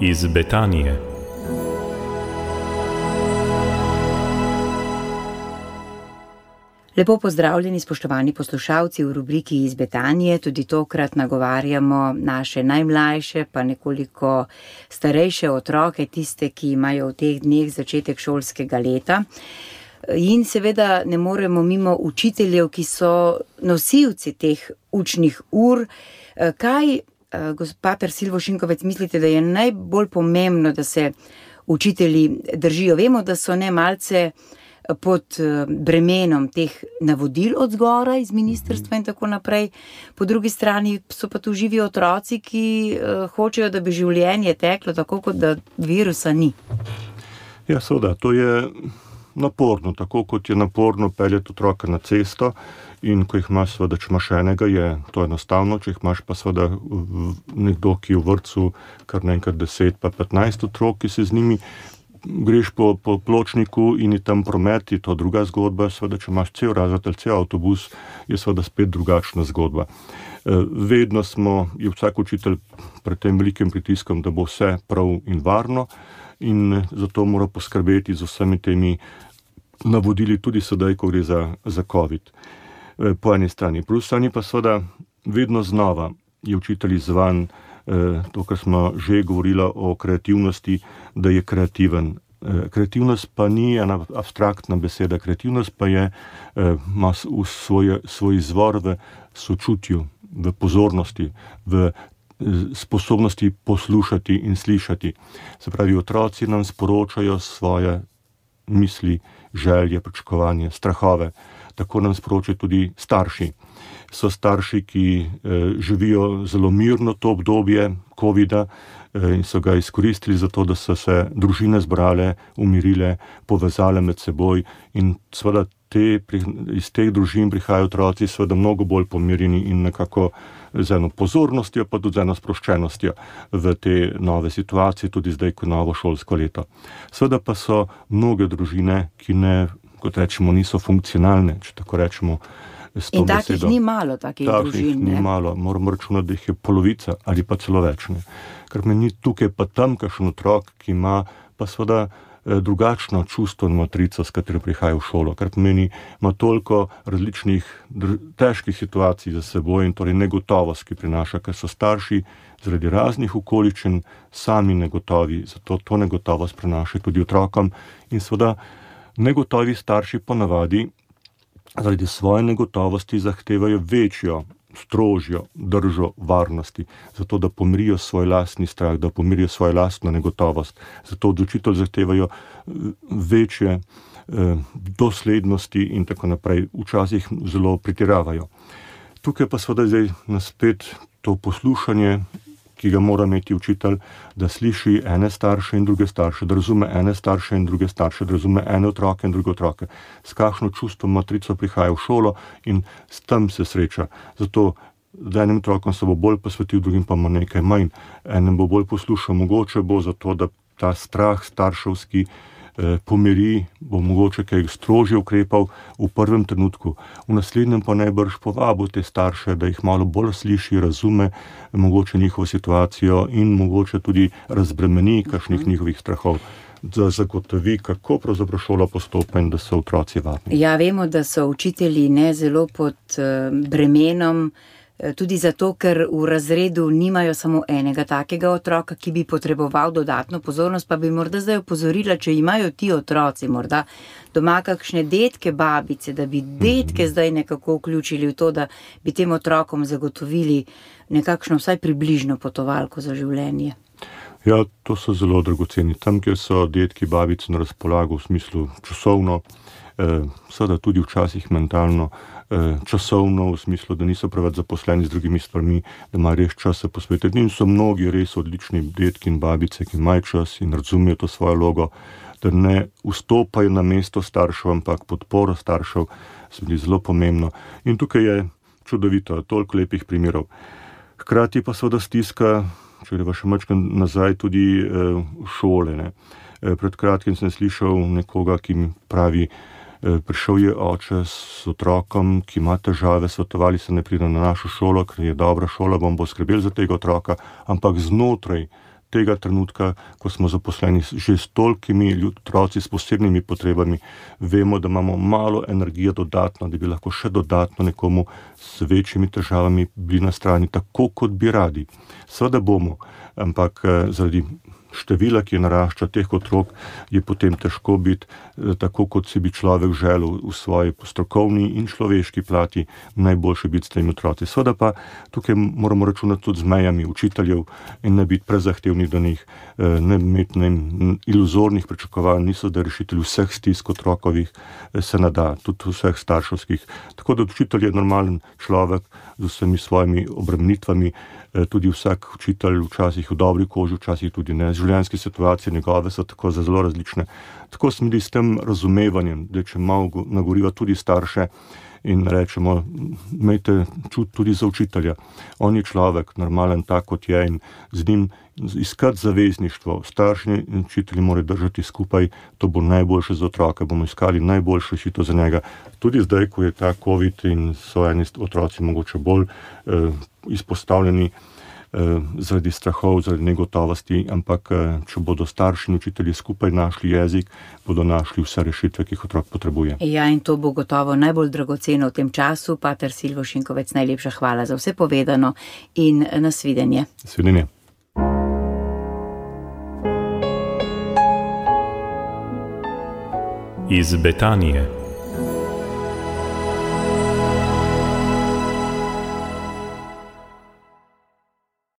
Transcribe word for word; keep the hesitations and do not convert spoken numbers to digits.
iz Betanije. Lepo pozdravljeni, spoštovani poslušalci v rubriki iz Betanije. Tudi tokrat nagovarjamo naše najmlajše, pa nekoliko starejše otroke, tiste, ki imajo v teh dneh začetek šolskega leta. In seveda ne moremo mimo učiteljev, ki so nosilci teh učnih ur. Kaj, pater Silvo Šinkovec, mislite, da je najbolj pomembno, da se učitelji držijo? Vemo, da so ne malce pod bremenom teh navodil od zgoraj iz ministrstva in tako naprej. Po drugi strani so pa tu živi otroci, ki hočejo, da bi življenje teklo tako, kot da virusa ni. Ja, seveda, to je naporno, tako kot je naporno peljati otroka na cesto in ko jih imaš, seveda, če imaš enega, je to enostavno, če jih imaš pa seveda nekdo, ki je v vrtcu kar naenkrat deset pa petnajst otrok, ki se z njimi greš po, po pločniku in je tam promet, je to druga zgodba, seveda, če imaš cel razred ali cel avtobus, je seveda spet drugačna zgodba. Vedno smo, je vsak učitelj pred tem velikim pritiskom, da bo vse prav in varno in zato mora poskrbeti z vsemi temi navodili tudi sedaj, ko gre za, za COVID. Po eni strani. Po drugi strani pa seveda vedno znova je učitelj izzvan, to, kar smo že govorili o kreativnosti, da je kreativen. Kreativnost pa ni ena abstraktna beseda, kreativnost pa je, ima svoj, svoj izvor v sočutju, v pozornosti, v sposobnosti poslušati in slišati. Se pravi, otroci nam sporočajo svoje misli, želje, pričakovanje, strahove. Tako nam sporočajo tudi starši. So starši, ki eh, živijo zelo mirno to obdobje covida eh, in so ga izkoristili za to, da so se družine zbrale, umirile, povezale med seboj in seveda te, iz teh družin prihajajo otroci seveda mnogo bolj pomirjeni in nekako z eno pozornostjo, pa tudi z eno sproščenostjo v te nove situacije, tudi zdaj, ko novo šolsko leto. Seveda pa so mnoge družine, ki ne, kot rečemo, niso funkcionalne, če tako rečemo. In takih ni malo, takih družin. Takih ni malo, moramo računati, da jih je polovica ali pa celo več. Ne. Ker meni tukaj pa tam kakšen otrok, ki ima pa seveda drugačno čustveno matrico, s katero prihaja v šolo, ker meni ima toliko različnih dr- težkih situacij za seboj in torej negotovost, ki prinaša, ker so starši zaradi raznih okoliščin sami negotovi, zato to negotovost prinaša tudi otrokom in seveda negotovi starši ponavadi zaradi svoje negotovosti zahtevajo večjo, strožjo držo varnosti, zato da pomirijo svoj lastni strah, da pomirijo svojo lastno negotovost. Zato od učitelj zahtevajo večje eh, doslednosti in tako naprej. Včasih zelo pretiravajo. Tukaj pa seveda zdaj naspet to poslušanje, ki ga mora imeti učitelj, da sliši ene starše in druge starše, da razume ene starše in druge starše, da razume ene otroke in druge otroke, s kakšno čustvo matrico prihaja v šolo in s tem se sreča. Zato z enim otrokom se bo bolj posvetil, drugim pa ima nekaj manj. Enem bo bolj poslušal, mogoče bo zato, da ta strah starševski eh, pomiri, bo mogoče kaj strožje ukrepal v prvem trenutku. V naslednjem pa najbrž povabil te starše, da jih malo bolj sliši, razume mogoče njihovo situacijo in mogoče tudi razbremeni kakšnih njihovih strahov, da zagotovi, kako pravzaprav šola postopa in da so otroci varni. Ja, vemo, da so učitelji ne zelo pod bremenom, tudi zato, ker v razredu nimajo samo enega takega otroka, ki bi potreboval dodatno pozornost, pa bi morda zdaj opozorila, če imajo ti otroci morda doma kakšne detke, babice, da bi detke mm-hmm. zdaj nekako vključili v to, da bi tem otrokom zagotovili nekakšno vsaj približno potovalko za življenje. Ja, to so zelo dragoceni. Tam, kjer so detki, babice na razpolago v smislu časovno, eh, seveda tudi včasih mentalno, časovno, v smislu, da niso preveč zaposleni z drugimi stvarmi, da imajo res čas se posvetiti. In so mnogi res odlični detki in babice, ki imajo čas in razumejo to svojo vlogo, da ne vstopajo na mesto staršev, ampak podporo staršev, se mi zelo pomembno. In tukaj je čudovito, toliko lepih primerov. Hkrati pa seveda stiska, če greva še malo nazaj, tudi eh, šole. Ne. Pred kratkim sem slišal nekoga, ki mi pravi, prišel je oče s otrokom, ki ima težave, svetovali se ne pride na našo šolo, ker je dobra šola, bom bo skrbel za tega otroka, ampak znotraj tega trenutka, ko smo zaposleni že s tolikimi otroci s posebnimi potrebami, vemo, da imamo malo energije dodatno, da bi lahko še dodatno nekomu s večjimi težavami bili na strani, tako kot bi radi. Seveda bomo, ampak zaradi števila, ki narašča teh otrok, je potem težko biti tako, kot si bi človek želel v svoji strokovni in človeški plati najboljše biti s temi otroci. Seveda pa tukaj moramo računati tudi z mejami učiteljev in ne biti prezahtevni do njih, ne imeti ne, iluzornih pričakovanj, niso da rešitelji vseh stisk otrokovih se nada, tudi vseh starševskih. Tako da učitelj je normalen človek z vsemi svojimi obremenitvami, tudi vsak učitelj včasih v dobri koži, včasih tudi ne. Življenjske situacije njegove so tako zelo različne. Tako smo bili s tem razumevanjem, da če malo nagoriva tudi starše in rečemo, imejte čut tudi za učitelja. On je človek, normalen tak, kot je, in z njim iskati zavezništvo. Starši in učitelji morajo držati skupaj, to bo najboljše za otroka, bomo iskali najboljše rešitev za njega. Tudi zdaj, ko je ta COVID in so eni otroci mogoče bolj eh, izpostavljeni eh, zaradi strahov, zaradi negotovosti, ampak eh, če bodo starši in učitelji skupaj našli jezik, bodo našli vse rešitve, ki jih otrok potrebuje. Ja, in to bo gotovo najbolj dragoceno v tem času. Pater Silvo Šinkovec, najlepša hvala za vse povedano in nasvidenje. Nasvidenje. Iz Betanije.